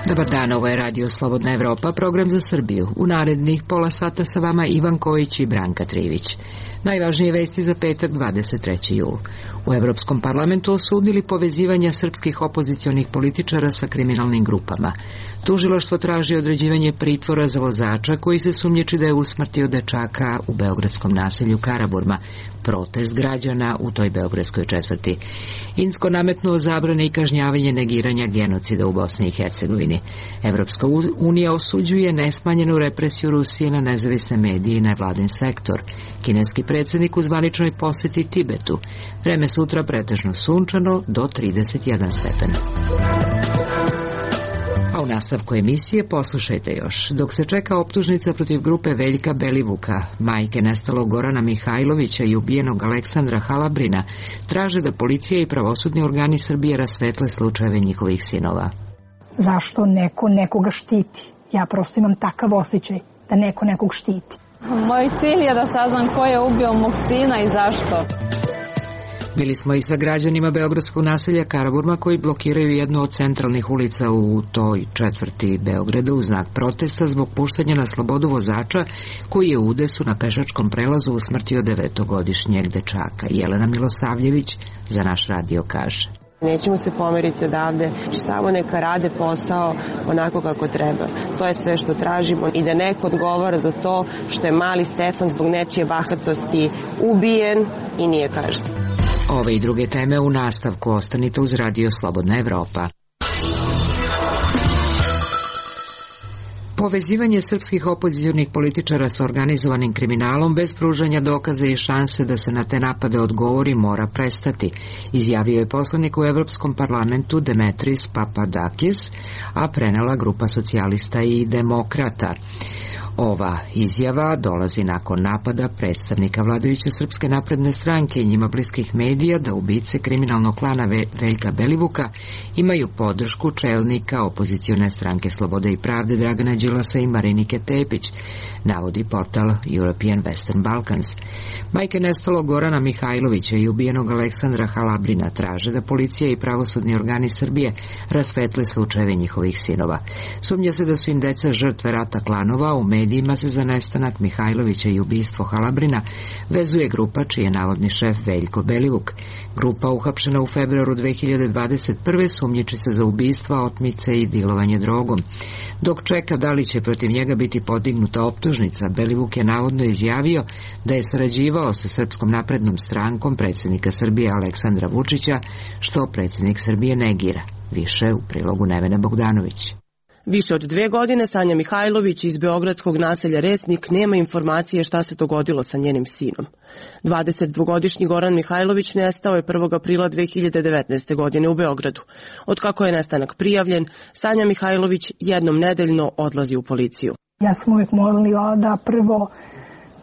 Dobar dan, ovo je Radio Slobodna Evropa, program za Srbiju. U narednih pola sata sa vama Ivan Kojić i Branka Trivić. Najvažnije vesti za petak 23. jul. U Evropskom parlamentu osudili povezivanja srpskih opozicionih političara sa kriminalnim grupama. Tužilaštvo traži određivanje pritvora za vozača koji se sumnjiči da je usmrtio dečaka u beogradskom naselju Karaburma. Protest građana u toj beogradskoj četvrti. Insko nametnuo zabrane i kažnjavanje negiranja genocida u Bosni i Hercegovini. Evropska unija osuđuje nesmanjenu represiju Rusije na nezavisne medije i nevladin sektor. Kineski predsjednik u zvaničnoj poseti Tibetu. Vreme sutra pretežno sunčano do 31 stepen. A u nastavku emisije poslušajte još. Dok se čeka optužnica protiv grupe Veljka Belivuka, majke nestalog Gorana Mihajlovića i ubijenog Aleksandra Halabrina, traže da policija i pravosudni organi Srbije rasvetle slučajeve njihovih sinova. Zašto neko nekoga štiti? Ja prosto imam takav osjećaj da neko nekog štiti. Moj cilj je da saznam ko je ubio mog sina i zašto. Bili smo i sa građanima beogradskog naselja Karaburma koji blokiraju jednu od centralnih ulica u toj četvrti Beograda u znak protesta zbog puštanja na slobodu vozača koji je u udesu na pešačkom prelazu usmrtio 9-godišnjeg dečaka. Jelena Milosavljević za naš radio kaže. Nećemo se pomeriti odavde, samo neka rade posao onako kako treba. To je sve što tražimo i da neko odgovara za to što je mali Stefan zbog nečije bahatosti ubijen i nije kažnjen. Ove i druge teme u nastavku, ostanite uz Radio Slobodna Evropa. Povezivanje srpskih opozicionih političara sa organizovanim kriminalom bez pružanja dokaza i šanse da se na te napade odgovori mora prestati, izjavio je poslanik u Evropskom parlamentu Demetris Papadakis, a prenela grupa socijalista i demokrata. Ova izjava dolazi nakon napada predstavnika vladajuće Srpske napredne stranke i njima bliskih medija da ubice kriminalnog klana Veljka Belivuka imaju podršku čelnika opozicione stranke Slobode i pravde Dragana Đilasa i Marinike Tepić, navodi portal European Western Balkans. Majke nestalog Gorana Mihajlovića i ubijenog Aleksandra Halabrina traže da policija i pravosudni organi Srbije rasvetle slučajeve njihovih sinova. Sumnja se da su im deca žrtve rata klanova. U medijima se za nestanak Mihajlovića i ubistvo Halabrina vezuje grupa čiji je navodni šef Veljko Belivuk. Grupa uhapšena u februaru 2021. sumnjiči se za ubistva, otmice i dilovanje drogom. Dok čeka da li će protiv njega biti podignuta optužnica, Belivuk je navodno izjavio da je sarađivao sa Srpskom naprednom strankom predsjednika Srbije Aleksandra Vučića, što predsjednik Srbije negira. Više u prilogu Nevene Bogdanović. Više od 2 godine Sanja Mihajlović iz beogradskog naselja Resnik nema informacije šta se dogodilo sa njenim sinom. 22-godišnji Goran Mihajlović nestao je 1. aprila 2019. godine u Beogradu. Otkako je nestanak prijavljen, Sanja Mihajlović jednom nedeljno odlazi u policiju. Ja sam uvijek molila da prvo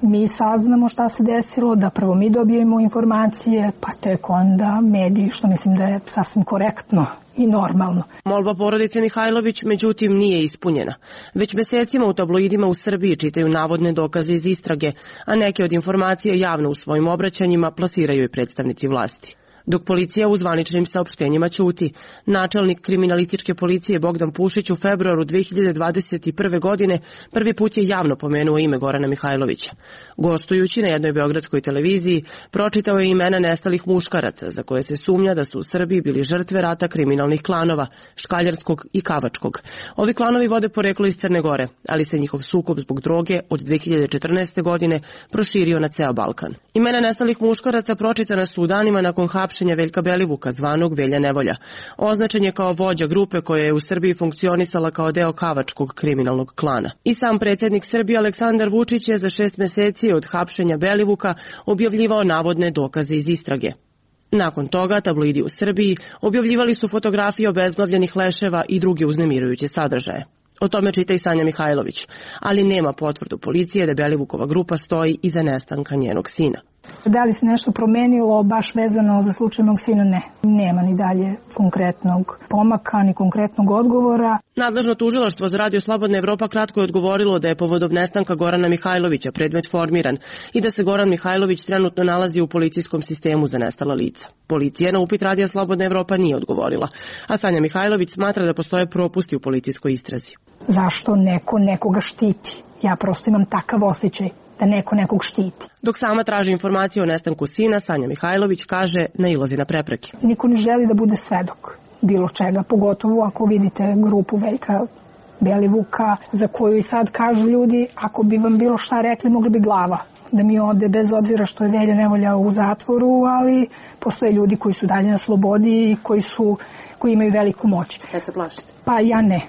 mi saznamo šta se desilo, da prvo mi dobijemo informacije, pa tek onda mediji, što mislim da je sasvim korektno i normalno. Molba porodice Mihajlović, međutim, nije ispunjena. Već mesecima u tabloidima u Srbiji čitaju navodne dokaze iz istrage, a neke od informacija javno u svojim obraćanjima plasiraju i predstavnici vlasti. Dok policija u zvaničnim saopštenjima ćuti, načelnik kriminalističke policije Bogdan Pušić u februaru 2021. godine prvi put je javno pomenuo ime Gorana Mihajlovića. Gostujući na jednoj beogradskoj televiziji, pročitao je imena nestalih muškaraca za koje se sumnja da su u Srbiji bili žrtve rata kriminalnih klanova, Škaljarskog i Kavačkog. Ovi klanovi vode poreklo iz Crne Gore, ali se njihov sukob zbog droge od 2014. godine proširio na ceo Balkan. Imena nestalih muškaraca pročitana su u danima nakon hapšenja Veljka Belivuka, zvanog Velja Nevolja. Označen je kao vođa grupe koja je u Srbiji funkcionisala kao deo Kavačkog kriminalnog klana. I sam predsjednik Srbije Aleksandar Vučić je za 6 meseci od hapšenja Belivuka objavljivao navodne dokaze iz istrage. Nakon toga tabloidi u Srbiji objavljivali su fotografije obezglavljenih leševa i druge uznemirujuće sadržaje. O tome čita i Sanja Mihajlović, ali nema potvrdu policije da Belivukova grupa stoji iza nestanka njenog sina. Da li se nešto promenilo baš vezano za slučaj mog sina? Ne. Nema ni dalje konkretnog pomaka, ni konkretnog odgovora. Nadležno tužilaštvo za Radio Slobodna Evropa kratko je odgovorilo da je povodom nestanka Gorana Mihajlovića predmet formiran i da se Goran Mihajlović trenutno nalazi u policijskom sistemu za nestala lica. Policija na upit Radio Slobodna Evropa nije odgovorila, a Sanja Mihajlović smatra da postoje propusti u policijskoj istrazi. Zašto neko nekoga štiti? Ja prosto imam takav osjećaj da neko nekog štiti. Dok sama traži informacije o nestanku sina, Sanja Mihajlović kaže nailazi na prepreke. Niko ne želi da bude svedok bilo čega, pogotovo ako vidite grupu Veljka Belivuka, za koju i sad kažu ljudi, ako bi vam bilo šta rekli, mogli bi glava da mi ode, bez obzira što je Velja Nevolja u zatvoru, ali postoje ljudi koji su dalje na slobodi i koji imaju veliku moć. Da se plašite? Pa ja ne.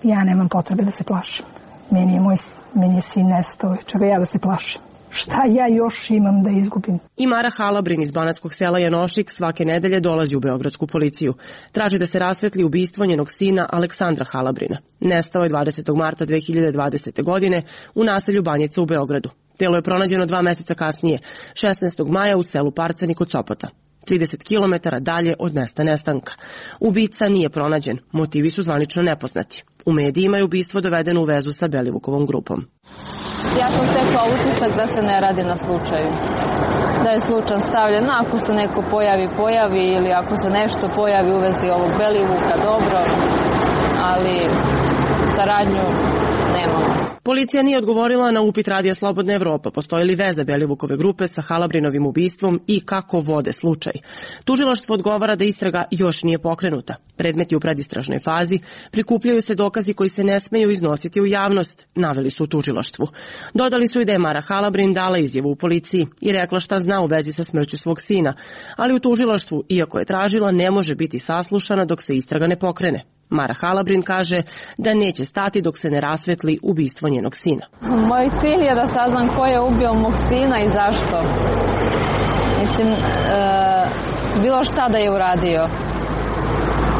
Ja nemam potrebe da se plašim. Meni je sin nestao, čega ja da se plašim. Šta ja još imam da izgubim? I Mara Halabrin iz banatskog sela Janošik svake nedelje dolazi u beogradsku policiju. Traži da se rasvetli ubistvo njenog sina Aleksandra Halabrina. Nestao je 20. marta 2020. godine u naselju Banjica u Beogradu. Telo je pronađeno 2 meseca kasnije, 16. maja u selu Parcani kod Sopota, 30 km dalje od mesta nestanka. Ubica nije pronađen, motivi su zvanično nepoznati. U medijima je ubistvo dovedeno u vezu sa Belivukovom grupom. Ja sam stekla utisak da se ne radi na slučaju. Da je slučaj stavljen, ako se neko pojavi ili ako se nešto pojavi u vezi ovog Belivuka, dobro, ali saradnju nemamo. Policija nije odgovorila na upit Radija Slobodna Evropa postoji li veza Belivukove grupe sa Halabrinovim ubistvom i kako vode slučaj. Tužilaštvo odgovara da istraga još nije pokrenuta. Predmet je u predistražnoj fazi, prikupljaju se dokazi koji se ne smeju iznositi u javnost, naveli su u tužilaštvu. Dodali su i da je Mara Halabrin dala izjavu u policiji i rekla šta zna u vezi sa smrću svog sina, ali u tužilaštvu, iako je tražila, ne može biti saslušana dok se istraga ne pokrene. Mara Halabrin kaže da neće stati dok se ne rasvetli ubistvo njenog sina. Moj cilj je da saznam ko je ubio mog sina i zašto. Mislim, bilo šta da je uradio.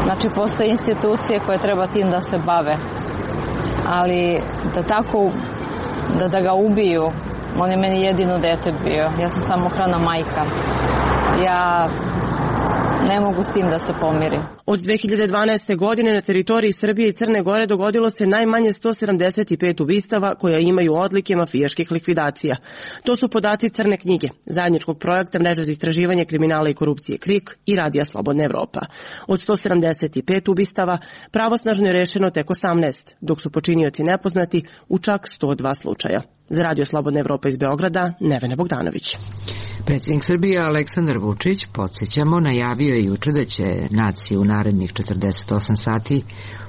Znači, postoje institucije koje treba tim da se bave. Ali da ga ubiju, on je meni jedino dete bio. Ja sam samohrana majka. Ja ne mogu s tim da se pomirim. Od 2012. godine na teritoriji Srbije i Crne Gore dogodilo se najmanje 175 ubistava koja imaju odlike mafijaških likvidacija. To su podaci Crne knjige, zajedničkog projekta Mreže za istraživanje kriminala i korupcije KRIK i Radija Slobodna Evropa. Od 175 ubistava pravosnažno je rešeno tek 18, dok su počinioci nepoznati u čak 102 slučaja. Za Radio Slobodna Evropa iz Beograda, Nevena Bogdanović. Predsjednik Srbije Aleksandar Vučić, podsjećamo, najavio je juče da će naciji u narednih 48 sati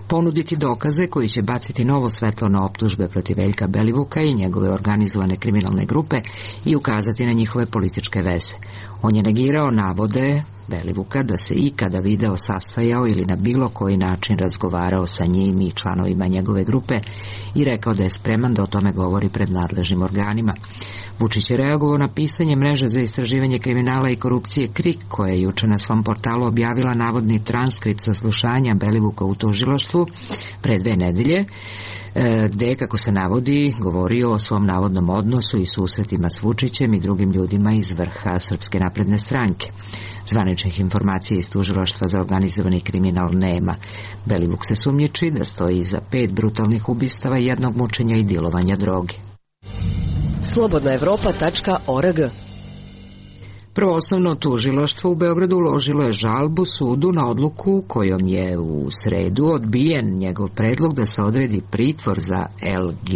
ponuditi dokaze koji će baciti novo svetlo na optužbe protiv Veljka Belivuka i njegove organizovane kriminalne grupe i ukazati na njihove političke veze. On je negirao navode Belivuka da se ikada video sastajao ili na bilo koji način razgovarao sa njim i članovima njegove grupe i rekao da je spreman da o tome govori pred nadležnim organima. Vučić je reagovao na pisanje Mreže za istraživanje kriminala i korupcije KRIK, koja je juče na svom portalu objavila navodni transkript saslušanja Belivuka u tužilaštvu pre 2 nedelje, gde je, kako se navodi, govorio o svom navodnom odnosu i susretima s Vučićem i drugim ljudima iz vrha Srpske napredne stranke. Zvaničnih informacija iz tužilaštva za organizovani kriminal nema. Belivuk se sumnjiči da stoji iza 5 brutalnih ubistava, 1 mučenja i dilovanja droge. Slobodnaevropa.org. Prvoosnovno tužilaštvo u Beogradu uložilo je žalbu sudu na odluku kojom je u sredu odbijen njegov predlog da se odredi pritvor za LG,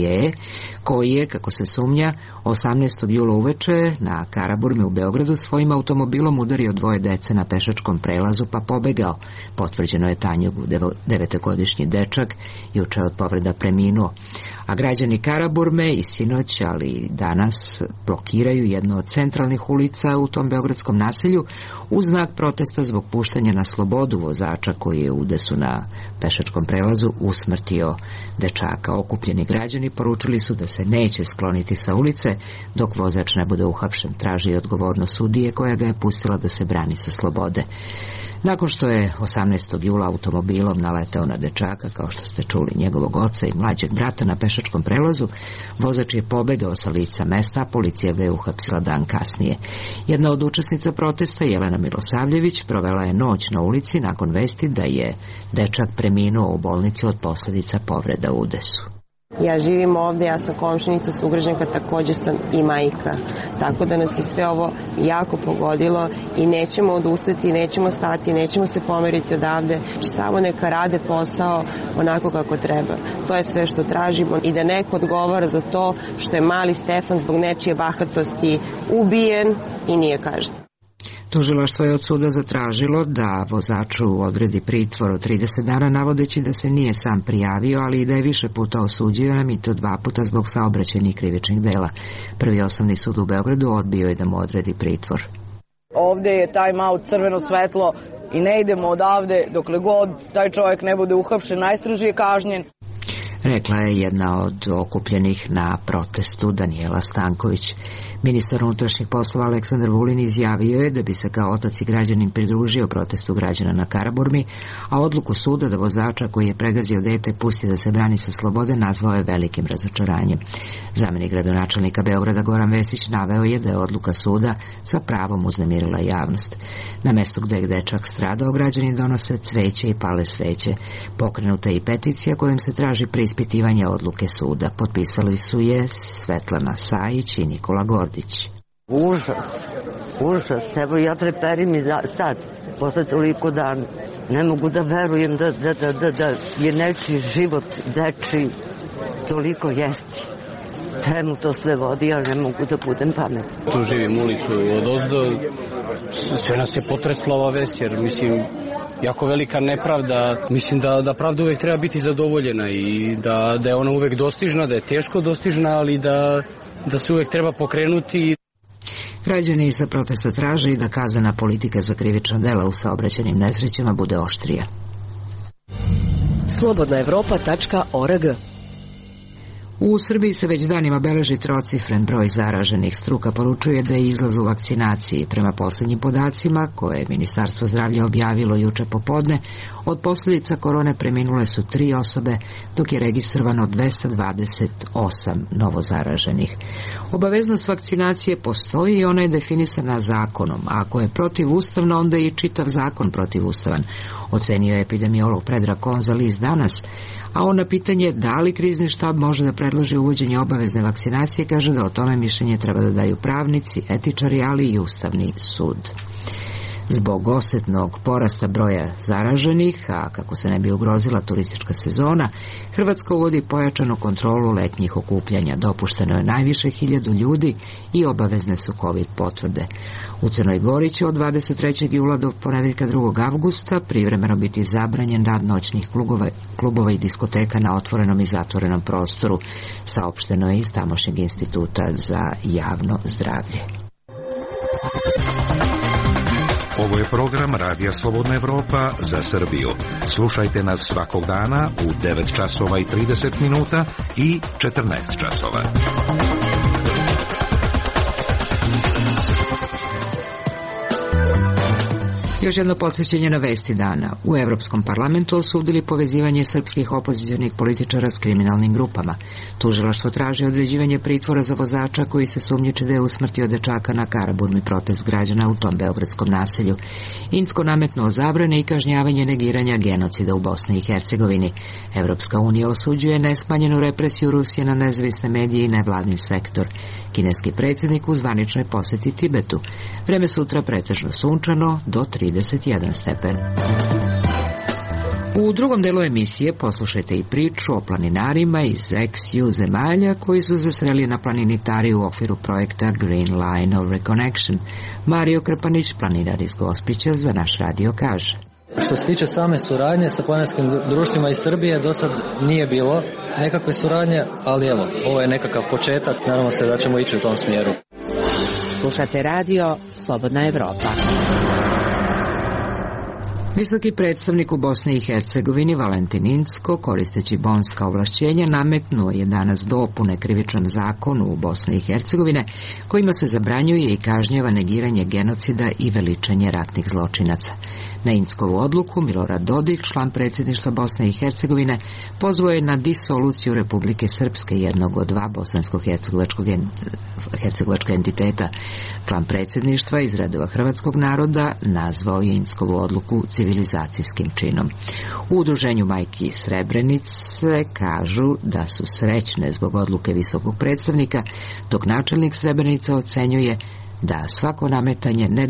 koji je, kako se sumnja, 18. jula uveče na Karaburmi u Beogradu svojim automobilom udario 2 dece na pešačkom prelazu pa pobegao. Potvrđeno je Tanjugu, 9-godišnji dečak, juče od povreda preminuo. A građani Karaburme i sinoć, ali i danas, blokiraju jednu od centralnih ulica u tom beogradskom naselju u znak protesta zbog puštanja na slobodu vozača koji je u udesu na pešačkom prelazu usmrtio dečaka. Okupljeni građani poručili su da se neće skloniti sa ulice dok vozač ne bude uhapšen. Traži odgovornost sudije koja ga je pustila da se brani sa slobode. Nakon što je 18. jula automobilom naleteo na dečaka, kao što ste čuli, njegovog oca i mlađeg brata na pešačkom prelazu, vozač je pobegao sa lica mesta, a policija ga je uhapsila dan kasnije. Jedna od učesnica protesta, Jelena Milosavljević, provela je noć na ulici nakon vesti da je dečak preminuo u bolnici od posljedica povreda u udesu. Ja živim ovde, ja sam komšinica, sugrađanka, takođe sam i majka. Tako da nas je sve ovo jako pogodilo i nećemo odustati, nećemo stati, nećemo se pomeriti odavde. Samo neka rade posao onako kako treba. To je sve što tražimo i da neko odgovara za to što je mali Stefan zbog nečije bahatosti ubijen i nije kažnjen. Tužilaštvo je od suda zatražilo da vozaču odredi pritvor od 30 dana, navodeći da se nije sam prijavio, ali i da je više puta osuđivan, i to 2 puta zbog saobraćajnih krivičnih dela. Prvi osnovni sud u Beogradu odbio je da mu odredi pritvor. Ovde je time out, crveno svetlo i ne idemo odavde dokle god taj čovjek ne bude uhapšen, najstrožije kažnjen. Rekla je jedna od okupljenih na protestu, Danijela Stanković. Ministar unutrašnjih poslova Aleksandar Vulin izjavio je da bi se kao otac i građanin pridružio protestu građana na Karaburmi, a odluku suda da vozača koji je pregazio dete pusti da se brani sa slobode nazvao je velikim razočaranjem. Zamenik gradonačelnika Beograda Goran Vesić naveo je da je odluka suda sa pravom uznemirila javnost. Na mestu gde je dečak stradao, građani donose cveće i pale sveće. Pokrenuta je i peticija kojom se traži preispitivanje odluke suda. Potpisali su je Svetlana Sajić i Nikola Gordić. Užas, evo ja treperim i sad, posle toliko dana. Ne mogu da verujem da je nečiji život, dečiji, toliko jesti. Čemu to sve vodi, ali ne mogu da budem pametna. Tu živim ulicu od ozdo, sve nas je potresla ova vest, jer mislim, jako velika nepravda. Mislim da pravda uvek treba biti zadovoljena i da je ona uvek dostižna, da je teško dostižna, ali da se uvek treba pokrenuti. Građani sa protesta traže i da kaznena politika za krivična dela u saobraćajnim nesrećama bude oštrija. Slobodnaevropa.org. U Srbiji se već danima beleži trocifren broj zaraženih. Struka poručuje da je izlaz u vakcinaciji. Prema poslednjim podacima, koje je Ministarstvo zdravlja objavilo juče popodne, od posljedica korone preminule su 3 osobe, dok je registrovano 228 novozaraženih. Obaveznost vakcinacije postoji i ona je definisana zakonom. Ako je protivustavna, onda je i čitav zakon protivustavan, ocenio je epidemiolog Predrag Konzaliz danas, a on na pitanje da li krizni štab može da predloži uvođenje obavezne vakcinacije kaže da o tome mišljenje treba da daju pravnici, etičari, ali i Ustavni sud. Zbog osetnog porasta broja zaraženih, a kako se ne bi ugrozila turistička sezona, Hrvatska uvodi pojačanu kontrolu letnjih okupljanja. Dopušteno je najviše 1000 ljudi i obavezne su COVID potvrde. U Crnoj Gori će od 23. jula do ponedeljka 2. avgusta privremeno biti zabranjen rad noćnih klubova i diskoteka na otvorenom i zatvorenom prostoru, saopšteno je iz tamošnjeg instituta za javno zdravlje. Ovo je program Radija Slobodna Evropa za Srbiju. Slušajte nas svakog dana u 9 časova i 30 minuta i 14 časova. Još jedno podsjećanje na vesti dana. U Evropskom parlamentu osudili povezivanje srpskih opozicionih političara s kriminalnim grupama. Tužilaštvo traži određivanje pritvora za vozača koji se sumnjiči da je usmrtio dečaka na Karaburmi, protest građana u tom beogradskom naselju. Incko nametnuo zabrane i kažnjavanje negiranja genocida u Bosni i Hercegovini. Evropska unija osuđuje nesmanjenu represiju Rusije na nezavisne medije i nevladin sektor. Kineski predsjednik u zvaničnoj poseti Tibetu. Vreme sutra pretežno sunčano do 31 stepen. U drugom delu emisije poslušajte i priču o planinarima iz ex-EU zemalja koji su zasreli na planini Tari u okviru projekta Green Line of Reconnection. Mario Krpanić, planinar iz Gospića, za naš radio kaže. Što se tiče same suradnje sa planinarskim društvima iz Srbije, do sad nije bilo nekakve suradnje, ali evo, ovo je nekakav početak, nadamo se da ćemo ići u tom smjeru. Slušate radio Slobodna Evropa. Visoki predstavnik u Bosni i Hercegovini Valentin Incko, koristeći bonska ovlašćenja, nametnuo je danas dopune krivičnom zakonu u Bosni i Hercegovine, kojima se zabranjuje i kažnjava negiranje genocida i veličanje ratnih zločinaca. Na Inckovu odluku Milorad Dodik, član predsjedništva Bosne i Hercegovine, pozvao je na disoluciju Republike Srpske, jednog od dva bosansko-hercegovačka entiteta. Član predsjedništva iz redova hrvatskog naroda nazvao je Inckovu odluku civilizacijskim činom. U udruženju Majki Srebrenice kažu da su srećne zbog odluke visokog predstavnika, dok načelnik Srebrenica ocenjuje da svako nametanje ne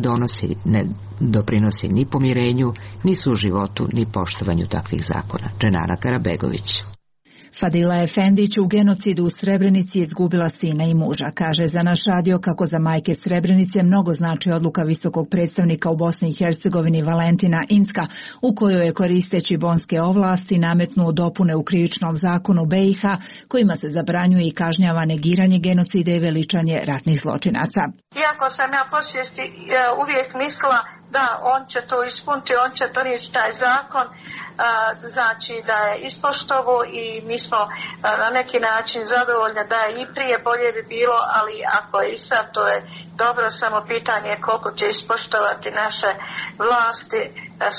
doprinosi ni pomirenju, ni suživotu, ni poštovanju takvih zakona. Dženana Karabegović. Fadila Efendić u genocidu u Srebrenici izgubila sina i muža. Kaže za naš radio kako za majke Srebrenice mnogo znači odluka visokog predstavnika u Bosni i Hercegovini Valentina Incka, u kojoj je koristeći bonske ovlasti nametnuo dopune u krivičnom zakonu BiH, kojima se zabranjuje i kažnjava negiranje genocida i veličanje ratnih zločinaca. Iako sam ja po svijesti uvijek mislila da on će to ispuniti, on će donijeti taj zakon, znači da je ispoštovo i mi smo na neki način zadovoljni da je i prije bolje bi bilo, ali ako je i sad to je dobro, samo pitanje je koliko će ispoštovati naše vlasti,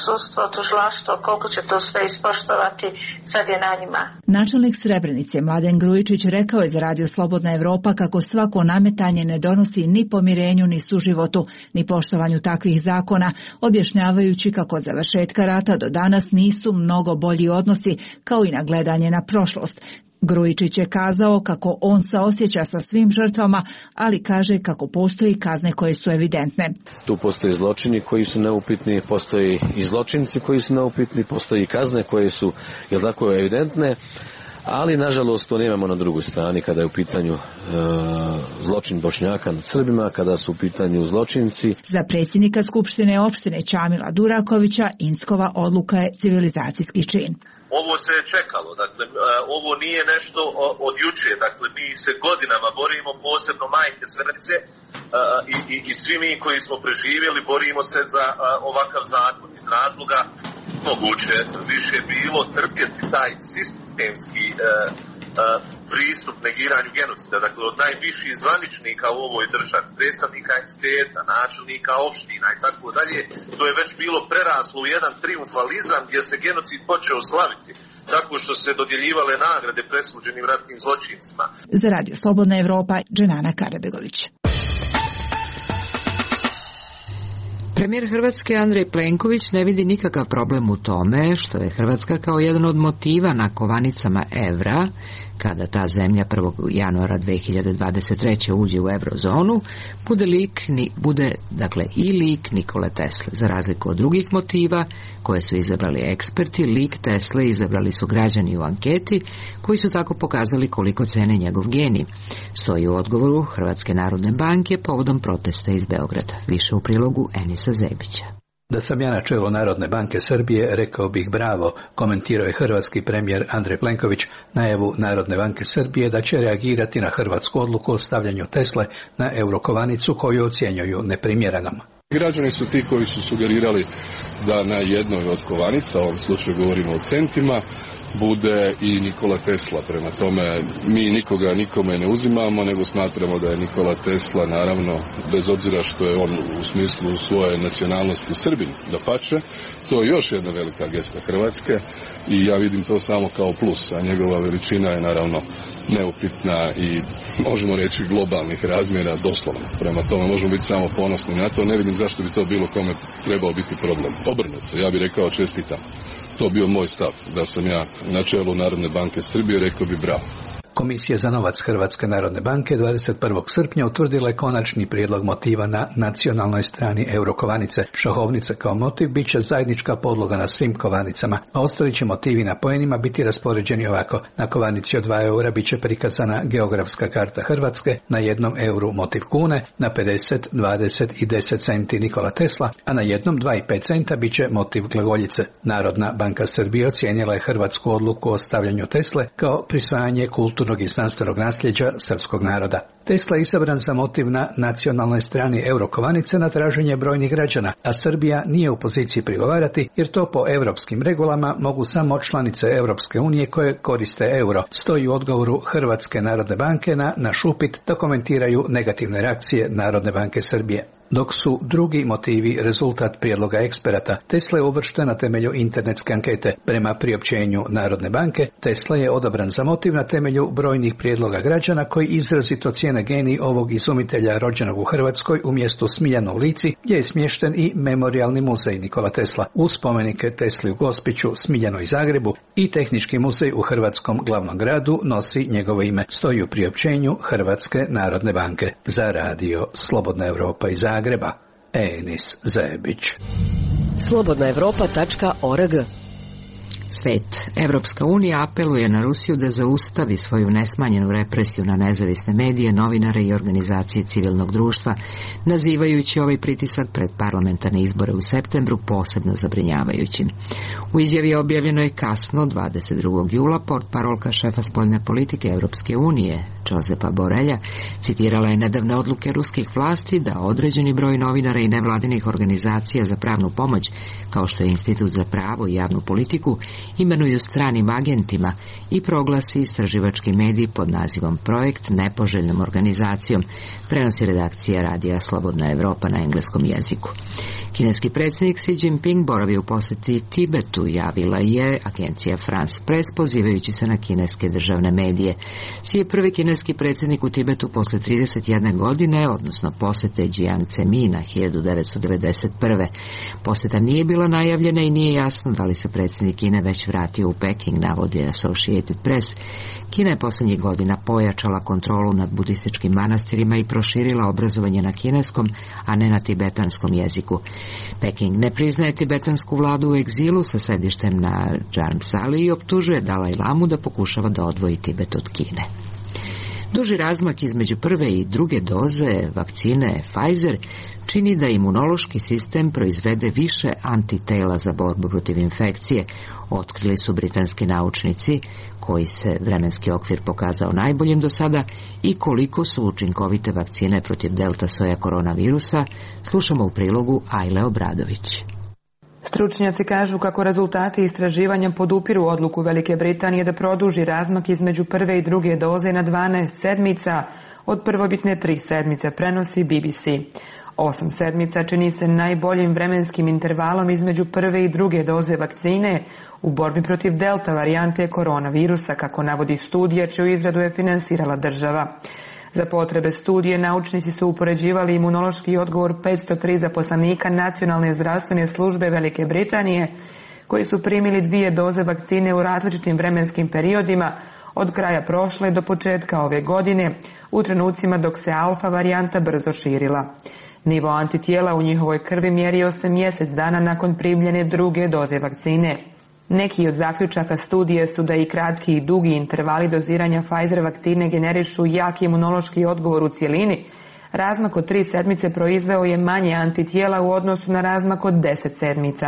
sudstvo, tužilaštvo, koliko će to sve ispoštovati, sad je na njima. Načelnik Srebrenice Mladen Grujičić rekao je za Radio Slobodna Evropa kako svako nametanje ne donosi ni pomirenju, ni suživotu, ni poštovanju takvih zakona, objašnjavajući kako od završetka rata do danas nisu mnogo bolji odnosi, kao i nagledanje na prošlost. Grujičić je kazao kako on saosjeća sa svim žrtvama, ali kaže kako postoji kazne koje su evidentne. Tu postoje zločini koji su neupitni, postoji i zločinci koji su neupitni, postoji i kazne koje su, jel tako, evidentne, ali nažalost to nemamo na drugoj strani kada je u pitanju zločin Bošnjaka nad Srbima, kada su u pitanju zločinci. Za predsjednika Skupštine opštine Čamila Durakovića Inckova odluka je civilizacijski čin. Ovo se je čekalo, dakle, ovo nije nešto od juče, dakle, mi se godinama borimo, posebno majke Srebrenice i svi mi koji smo preživjeli borimo se za ovakav zakon iz razloga moguće više bilo trpjeti taj sistemski pristup negiranju genocida, dakle od najviših zvaničnika u ovoj državi, predstavnika entiteta, načelnika opština i tako dalje, to je već bilo preraslo u jedan triumfalizam gdje se genocid počeo slaviti, tako što se dodjeljivale nagrade presuđenim ratnim zločincima. Za Radio Slobodna Evropa, Dženana Karabegović. Premijer Hrvatske Andrej Plenković ne vidi nikakav problem u tome što je Hrvatska kao jedan od motiva na kovanicama evra, kada ta zemlja 1. januara 2023. uđe u eurozonu, bude i lik Nikole Tesle. Za razliku od drugih motiva koje su izabrali eksperti, lik Tesle izabrali su građani u anketi koji su tako pokazali koliko cene njegov genij. Stoji u odgovoru Hrvatske narodne banke povodom protesta iz Beograda. Više u prilogu Enisa Zebića. Da sam ja na čelu Narodne banke Srbije, rekao bih bravo, komentirao je hrvatski premijer Andrej Plenković najavu Narodne banke Srbije da će reagirati na hrvatsku odluku o stavljanju Tesle na eurokovanicu koju ocjenjuju neprimjerenom. Građani su ti koji su sugerirali da na jednoj od kovanica, u ovom slučaju govorimo o centima, bude i Nikola Tesla. Prema tome, mi nikoga nikome ne uzimamo, nego smatramo da je Nikola Tesla, naravno, bez obzira što je on u smislu svoje nacionalnosti Srbin, dapače, to je još jedna velika gesta Hrvatske i ja vidim to samo kao plus, a njegova veličina je naravno neupitna i možemo reći globalnih razmjera doslovno. Prema tome možemo biti samo ponosni na to, ne vidim zašto bi to bilo kome trebao biti problem. Obrnuto, ja bih rekao čestitam. To bio moj stav, da sam ja na čelu Narodne banke Srbije, rekao bi bravo. Komisija za novac Hrvatske narodne banke 21. srpnja utvrdila je konačni prijedlog motiva na nacionalnoj strani eurokovanice. Šahovnica kao motiv bit će zajednička podloga na svim kovanicama, a ostali će motivi na poenima biti raspoređeni ovako. Na kovanici od 2 eura bit će prikazana geografska karta Hrvatske, na 1 euru motiv kune, na 50, 20 i 10 centi Nikola Tesla, a na 1, 2 i 5 centa bit će motiv glagoljice. Narodna banka Srbije ocijenila je hrvatsku odluku o stavljanju Tesle kao prisvajanje kulturnog i znanstvenog nasljeđa srpskog naroda. Tesla je isabran za motiv na nacionalnoj strani eurokovanice na traženje brojnih građana, a Srbija nije u poziciji prigovarati jer to po europskim regulama mogu samo članice Europske unije koje koriste euro. Stoji u odgovoru Hrvatske narodne banke na naš upit da komentiraju negativne reakcije Narodne banke Srbije. Dok su drugi motivi rezultat prijedloga eksperata. Tesla je uvršten na temelju internetske ankete. Prema priopćenju Narodne banke, Tesla je odabran za motiv na temelju brojnih prijedloga građana koji izrazito cijene genij ovog izumitelja rođenog u Hrvatskoj u mjestu Smiljano u Lici, gdje je smješten i memorijalni muzej Nikola Tesla, uz spomenike Tesli u Gospiću, Smiljano i Zagrebu, i Tehnički muzej u hrvatskom glavnom gradu nosi njegovo ime, stoji u priopćenju Hrvatske Narodne banke. Za radio Slobodna Evropa iz Zagreba, Enis Zebić. slobodnaevropa.org. Svet. Evropska unija apeluje na Rusiju da zaustavi svoju nesmanjenu represiju na nezavisne medije, novinare i organizacije civilnog društva, nazivajući ovaj pritisak pred parlamentarne izbore u septembru posebno zabrinjavajućim. U izjavi objavljenoj kasno 22. jula portparolka šefa spoljne politike Evropske unije, Josepa Borelja, citirala je nedavne odluke ruskih vlasti da određeni broj novinara i nevladinih organizacija za pravnu pomoć, kao što je Institut za pravo i javnu politiku, imenuju stranim agentima i proglasi istraživački medij pod nazivom Projekt nepoželjnom organizacijom, prenosi redakcija radija Slobodna Evropa na engleskom jeziku. Kineski predsjednik Xi Jinping boravi u posjeti Tibetu, javila je agencija France Press, pozivajući se na kineske državne medije. Xi je prvi kineski predsjednik u Tibetu posle 31 godine, odnosno posjete Jiang Zemina 1991. Posjeta nije bila najavljena i nije jasno da li se predsjednik Kine već vratio u Peking, navodi Associated Press. Kina je posljednjih godina pojačala kontrolu nad budističkim manastirima i proširila obrazovanje na kineskom, a ne na tibetanskom jeziku. Peking ne priznaje tibetansku vladu u egzilu sa sedištem na Džarmsali i optužuje Dalaj Lamu da pokušava da odvoji Tibet od Kine. Duži razmak između prve i druge doze vakcine Pfizer čini da imunološki sistem proizvede više antitela za borbu protiv infekcije, otkrili su britanski naučnici, koji se vremenski okvir pokazao najboljim do sada, i koliko su učinkovite vakcine protiv delta soja koronavirusa, slušamo u prilogu Ajle Obradović. Stručnjaci kažu kako rezultati istraživanja podupiru odluku Velike Britanije da produži razmak između prve i druge doze na 12 sedmica, od prvobitne 3 sedmice, prenosi BBC. 8 sedmica čini se najboljim vremenskim intervalom između prve i druge doze vakcine u borbi protiv delta varijante koronavirusa, kako navodi studija čiju izradu je finansirala država. Za potrebe studije naučnici su upoređivali imunološki odgovor 503 zaposlenika Nacionalne zdravstvene službe Velike Britanije, koji su primili 2 doze vakcine u različitim vremenskim periodima od kraja prošle do početka ove godine, u trenucima dok se alfa varijanta brzo širila. Nivo antitijela u njihovoj krvi mjerio se mjesec dana nakon primljene druge doze vakcine. Neki od zaključaka studije su da i kratki i dugi intervali doziranja Pfizer vakcine generišu jak imunološki odgovor u cjelini. Razmak od 3 sedmice proizveo je manje antitijela u odnosu na razmak od 10 sedmica.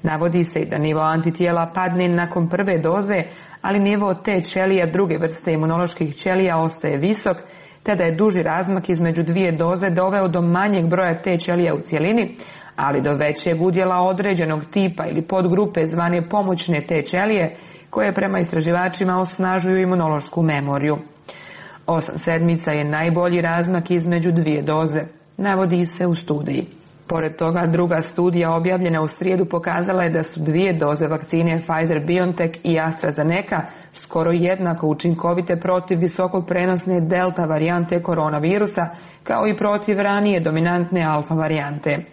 Navodi se i da nivo antitijela padne nakon prve doze, ali nivo T ćelija druge vrste imunoloških ćelija ostaje visok, te da je duži razmak između 2 doze doveo do manjeg broja T ćelija u cjelini, ali do većeg udjela određenog tipa ili podgrupe zvane pomoćne T ćelije, koje prema istraživačima osnažuju imunološku memoriju. 8 sedmica je najbolji razmak između 2 doze, navodi se u studiji. Pored toga, druga studija objavljena u srijedu pokazala je da su 2 doze vakcine Pfizer-BioNTech i AstraZeneca skoro jednako učinkovite protiv visoko prenosne delta varijante koronavirusa, kao i protiv ranije dominantne alfa varijante.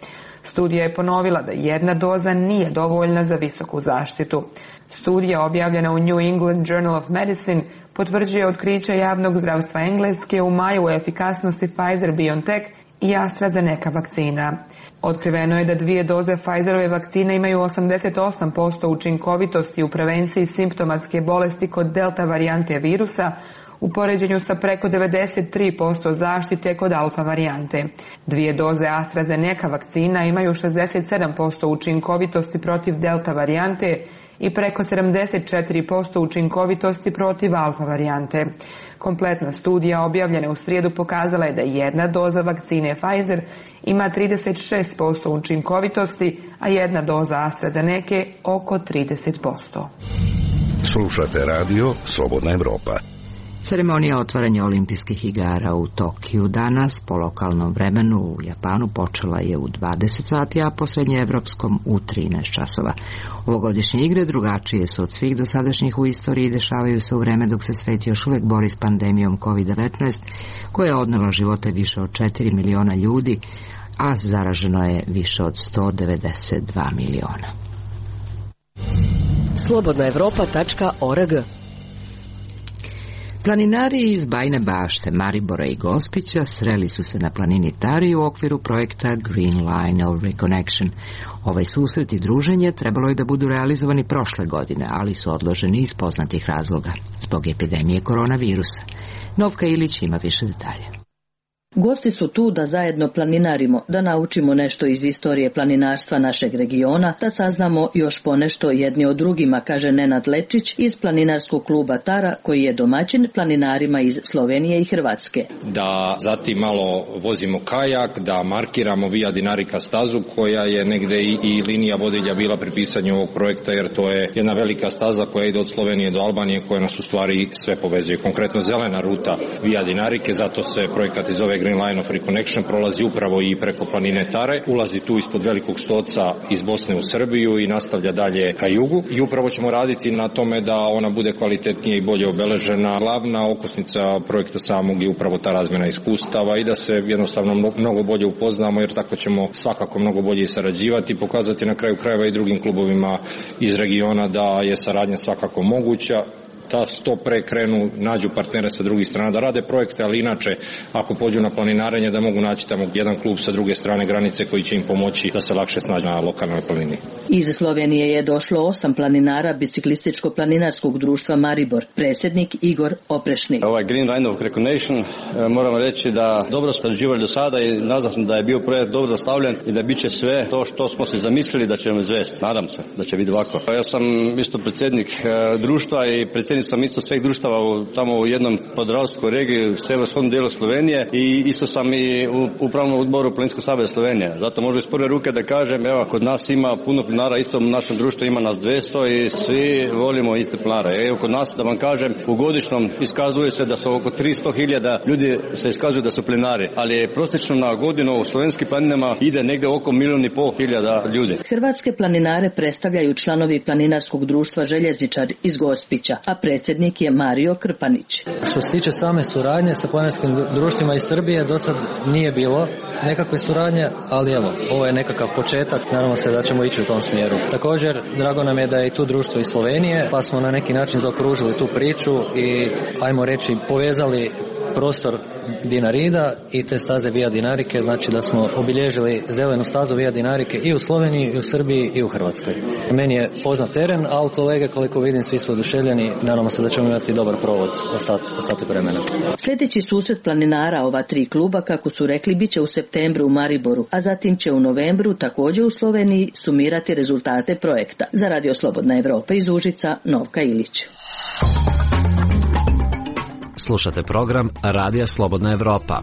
Studija je ponovila da 1 doza nije dovoljna za visoku zaštitu. Studija objavljena u New England Journal of Medicine potvrđuje otkriće javnog zdravstva Engleske u maju o efikasnosti Pfizer-BioNTech i AstraZeneca vakcina. Otkriveno je da 2 doze Pfizerove vakcine imaju 88% učinkovitosti u prevenciji simptomatske bolesti kod delta varijante virusa, u poređenju sa preko 93% zaštite kod alfa varijante. 2 doze AstraZeneca vakcina imaju 67% učinkovitosti protiv delta varijante i preko 74% učinkovitosti protiv alfa varijante. Kompletna studija objavljena u srijedu pokazala je da 1 doza vakcine Pfizer ima 36% učinkovitosti, a 1 doza AstraZeneca oko 30%. Slušate radio Slobodna Evropa. Ceremonija otvaranja olimpijskih igara u Tokiju danas po lokalnom vremenu u Japanu počela je u 20 sati, a po srednjeevropskom u 13 časova. Ovogodišnje igre drugačije su od svih dosadašnjih u istoriji i dešavaju se u vreme dok se svet još uvek bori s pandemijom COVID-19, koja je odnela živote više od 4 miliona ljudi, a zaraženo je više od 192 miliona. Slobodnaevropa.org. Planinari iz Bajine Bašte, Maribora i Gospića sreli su se na planini Tari u okviru projekta Green Line of Reconnection. Ovaj susret i druženje trebalo je da budu realizovani prošle godine, ali su odloženi iz poznatih razloga, zbog epidemije koronavirusa. Novka Ilić ima više detalja. Gosti su tu da zajedno planinarimo, da naučimo nešto iz istorije planinarstva našeg regiona, da saznamo još ponešto jedni o drugima, kaže Nenad Lečić iz planinarskog kluba Tara, koji je domaćin planinarima iz Slovenije i Hrvatske. Da zatim malo vozimo kajak, da markiramo Via Dinarica stazu, koja je negde i linija vodilja bila pri pisanju ovog projekta, jer to je jedna velika staza koja ide od Slovenije do Albanije, koja nas u stvari sve povezuje. Konkretno zelena ruta Via Dinarice, zato se projekat iz ove Green Line of Reconnection prolazi upravo i preko planine Tare, ulazi tu ispod Velikog Stoca iz Bosne u Srbiju i nastavlja dalje ka jugu. I upravo ćemo raditi na tome da ona bude kvalitetnije i bolje obeležena. Glavna okosnica projekta samog je upravo ta razmjena iskustava i da se jednostavno mnogo bolje upoznamo, jer tako ćemo svakako mnogo bolje sarađivati i pokazati na kraju krajeva i drugim klubovima iz regiona da je saradnja svakako moguća, da što pre krenu, nađu partnere sa drugih strana, da rade projekte, ali inače, ako pođu na planinarenje, da mogu naći tamo jedan klub sa druge strane granice koji će im pomoći da se lakše snađu na lokalnoj planini. Iz Slovenije je došlo 8 planinara biciklističko-planinarskog društva Maribor, predsjednik Igor Oprešnik. Ovaj Green Line of Reconnection, moramo reći da dobro surađivali do sada i nadam se da je bio projekt dobro zastavljen i da bit će sve to što smo se zamislili da ćemo izvesti. Nadam se da će biti ovako. Ja sam isto predsjednik društva i predsjednik sam isto svih društava tamo u jednom podravskoj regiji u severskom dijelu Slovenije i isto sam i u upravnom odboru Planinskog saveza Slovenije. Zato možda iz prve ruke da kažem, evo, kod nas ima puno planara, isto u našem društvu ima nas 200 i svi volimo iste planare. Evo, kod nas, da vam kažem, u godišnjem iskazuje se da su oko 300.000 ljudi se iskazuju da su planari, ali prosječno na godinu u slovenskim planinama ide negde oko 1.500.000 ljudi. Hrvatske planinare predstavljaju članovi planinarskog društva Željezničar iz Gospića, a predsjednik je Mario Krpanić. Što se tiče same suradnje sa planinarskim društvima iz Srbije, do sad nije bilo nekakve suradnje, ali evo, ovo je nekakav početak, naravno se da ćemo ići u tom smjeru. Također, drago nam je da je i tu društvo iz Slovenije, pa smo na neki način zaokružili tu priču i, ajmo reći, povezali prostor Dinarida i te staze Via Dinarice, znači da smo obilježili zelenu stazu Via Dinarice i u Sloveniji, i u Srbiji, i u Hrvatskoj. Meni je poznat teren, ali kolege, koliko vidim, svi su oduševljeni, nadamo se da ćemo imati dobar provod ostatak vremena. Sljedeći susret planinara ova 3 kluba, kako su rekli, bit će u septembru u Mariboru, a zatim će u novembru također u Sloveniji sumirati rezultate projekta. Za Radio Slobodna Evropa iz Užica, Novka Ilić. Slušate program Radija Slobodna Evropa.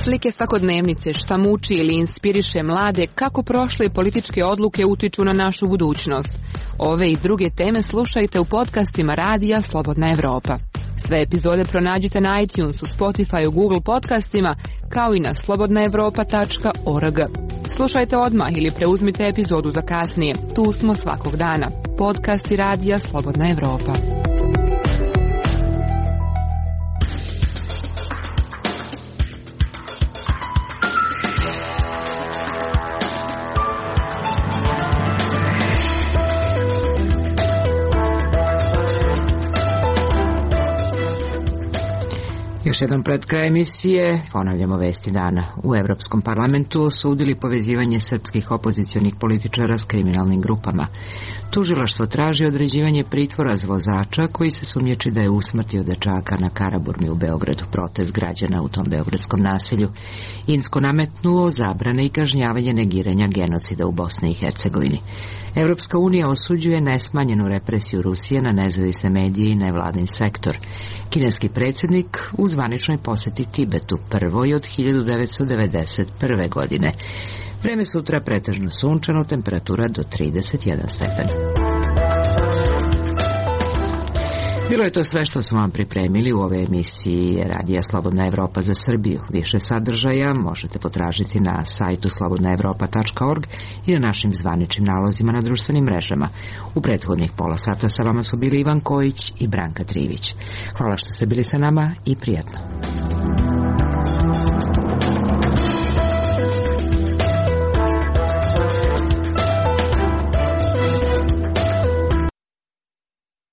Slike svakodnevnice, šta muči ili inspiriše mlade, kako prošle političke odluke utiču na našu budućnost. Ove i druge teme slušajte u podcastima Radija Slobodna Evropa. Sve epizode pronađite na iTunesu, Spotifyu, Google podcastima, kao i na slobodnaevropa.org. Slušajte odmah ili preuzmite epizodu za kasnije. Tu smo svakog dana. Podcasti Radija Slobodna Evropa. Još jedan pred kraj emisije ponavljamo vesti dana. U Evropskom parlamentu osudili povezivanje srpskih opozicionih političara s kriminalnim grupama. Tužilaštvo traži određivanje pritvora za vozača koji se sumnjiči da je usmrtio dečaka na Karaburmi u Beogradu. Protest građana u tom beogradskom naselju Insko nametnuo zabrane i kažnjavanje negiranja genocida u Bosni i Hercegovini. Evropska unija osuđuje nesmanjenu represiju Rusije na nezavisne medije i nevladin sektor. Kineski predsjednik u zvaničnoj posjeti Tibetu prvoj od 1991. godine. Vreme sutra pretežno sunčano, temperatura do 31 stepen. Bilo je to sve što smo vam pripremili u ove emisiji Radija Slobodna Evropa za Srbiju. Više sadržaja možete potražiti na sajtu slobodnaevropa.org i na našim zvaničnim nalozima na društvenim mrežama. U prethodnih pola sata sa vama su bili Ivan Kojić i Branka Trivić. Hvala što ste bili sa nama i prijatno.